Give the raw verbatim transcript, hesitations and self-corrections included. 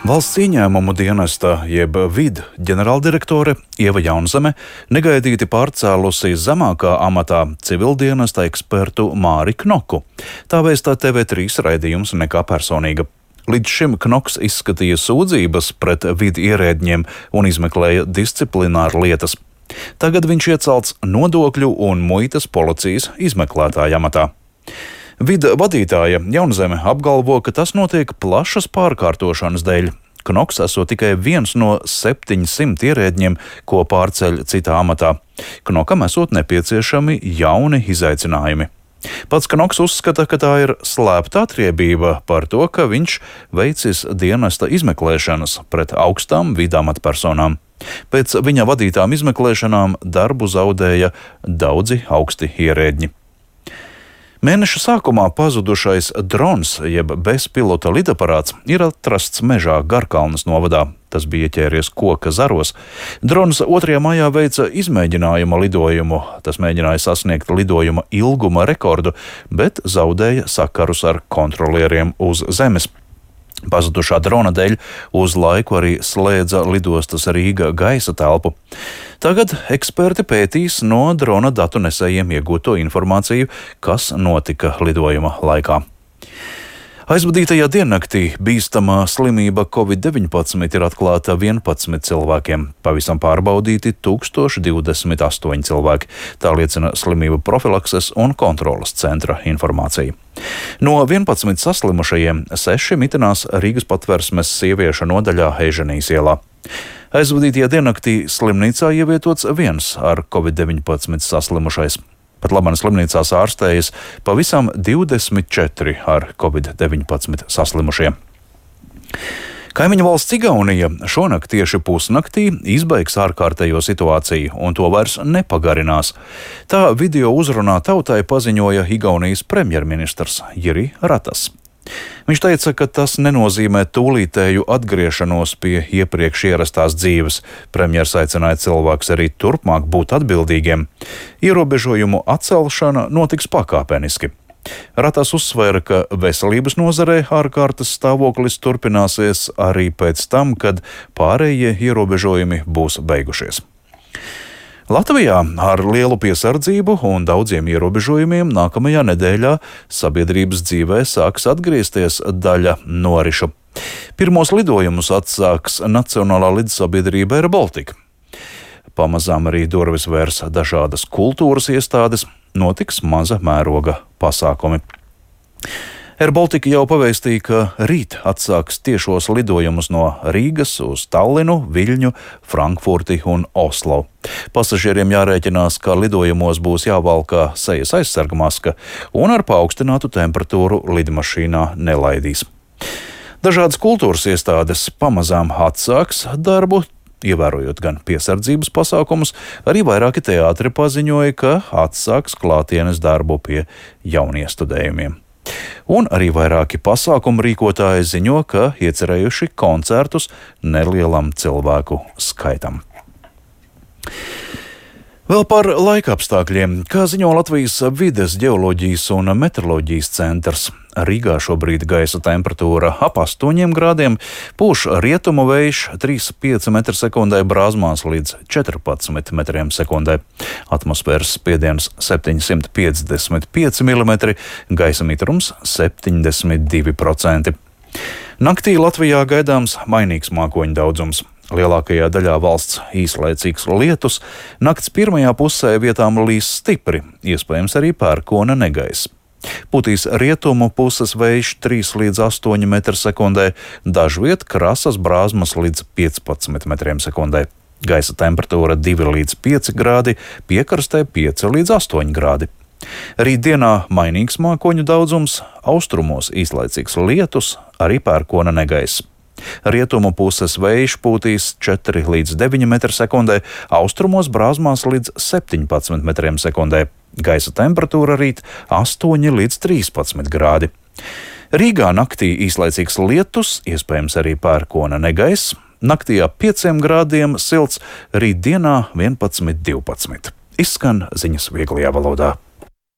Valsts ieņēmumu dienesta jeb vidu ģenerāldirektore Ieva Jaunzeme negaidīti pārcēlusi zemākā amatā civildienesta ekspertu Māri Knoku. Tā vēstā T V trīs raidījums Nekā personīga. Līdz šim Knoks izskatīja sūdzības pret vidu ierēdņiem un izmeklēja disciplināru lietas. Tagad viņš iecelts nodokļu un muitas policijas izmeklētāja amatā. Vida vadītāja Jaunzeme apgalvo, ka tas notiek plašas pārkārtošanas dēļ. Knoks esot tikai viens no septiņsimt ierēdņiem, ko pārceļ citā amatā. Knokam esot nepieciešami jauni izaicinājumi. Pats Knoks uzskata, ka tā ir slēpta atriebība par to, ka viņš veicis dienesta izmeklēšanas pret augstām vidu amatpersonām. Pēc viņa vadītām izmeklēšanām darbu zaudēja daudzi augsti ierēdņi. Mēneša sākumā pazudušais drons, jeb bezpilota lidaparāts, ir atrasts mežā Garkalnes novadā. Tas bija ķēries koka zaros. Drons otrajā maijā veica izmēģinājuma lidojumu. Tas mēģināja sasniegt lidojuma ilguma rekordu, bet zaudēja sakarus ar kontrolieriem uz zemes. Pazudušā drona dēļ uz laiku arī slēdza lidostas Rīga gaisa telpu. Tagad eksperti pētīs no drona datu nesējiem iegūto informāciju, kas notika lidojuma laikā. Aizvadītajā diennaktī bīstamā slimība covid deviņpadsmit ir atklāta vienpadsmit cilvēkiem. Pavisam pārbaudīti tūkstoš divdesmit astoņi cilvēki. Tā liecina slimību profilakses un kontroles centra informācija. No vienpadsmit saslimušajiem seši mitinās Rīgas Patversmes sieviešu nodaļā Eiženijas ielā. Aizvadītajā diennaktī slimnīcā ievietots viens ar covid deviņpadsmit saslimušais. Pat labāk slimnīcās ārstējas pavisam divdesmit četri ar covid deviņpadsmit saslimušie. Kaimiņu valsts Igaunija šonakt tieši pusnaktī izbeigs ārkārtējo situāciju un to vairs nepagarinās. Tā video uzrunā tautai paziņoja Igaunijas premjerministrs Jiri Ratas. Viņš teica, ka tas nenozīmē tūlītēju atgriešanos pie iepriekš ierastās dzīves. Premjers aicināja cilvēkus arī turpmāk būt atbildīgiem. Ierobežojumu atcelšana notiks pakāpeniski. Ratas uzsvēra, ka veselības nozarē ārkārtas stāvoklis turpināsies arī pēc tam, kad pārējie ierobežojumi būs beigušies. Latvijā ar lielu piesardzību un daudziem ierobežojumiem nākamajā nedēļā sabiedrības dzīvē sāks atgriezties daļa norišu. Pirmos lidojumus atsāks Nacionālā lidsabiedrība Air Baltica. Pamazām arī durvis vērs dažādas kultūras iestādes, notiks maza mēroga pasākumi. Air Baltica jau pavēstīja, ka rīt atsāks tiešos lidojumus no Rīgas uz Tallinu, Viļņu, Frankfurti un Oslo. Pasažieriem jārēķinās, ka lidojumos būs jāvalkā sejas aizsargmaska un ar paaugstinātu temperatūru lidmašīnā nelaidīs. Dažādas kultūras iestādes pamazām atsāks darbu, ievērojot gan piesardzības pasākumus, arī vairāki teātri paziņoja, ka atsāks klātienes darbu pie jauniestudējumiem. Un arī vairāki pasākumu rīkotāji ziņo, ka iecerējuši koncertus nelielam cilvēku skaitam. Vēl par laika apstākļiem. Kā ziņo Latvijas vides, ģeoloģijas un meteoroloģijas centrs, Rīgā šobrīd gaisa temperatūra ap astoņiem grādiem, pūš rietumu vējš trīs komats pieci metri sekundē, brāzmās līdz četrpadsmit metriem sekundē. Atmosfēras spiediens septiņsimt piecdesmit pieci milimetri, gaisa mitrums septiņdesmit divi procenti. Naktī Latvijā gaidāms mainīgs mākoņu daudzums. Lielākajā daļā valsts īslaicīgs lietus, nakts pirmajā pusē vietām līs stipri, iespējams arī pērkona negaiss. Putīs rietumu puses vējš trīs līdz astoņi metri sekundē, dažviet krasas brāzmas līdz piecpadsmit metriem sekundē. Gaisa temperatūra divi līdz pieci grādi, piekrastē pieci līdz astoņi grādi. Rītdienā mainīgs mākoņu daudzums, austrumos īslaicīgs lietus, arī pērkona negaiss. Rietumu puses vējš pūtīs četri līdz deviņi metri sekundē, austrumos brāzmās līdz septiņpadsmit metriem sekundē. Gaisa temperatūra rīt astoņi līdz trīspadsmit grādi. Rīgā naktī īslaicīgs lietus, iespējams arī pērkona negaiss. Naktī ap pieciem grādiem silts, rītdienā vienpadsmit divpadsmit. Izskan ziņas vieglajā valodā.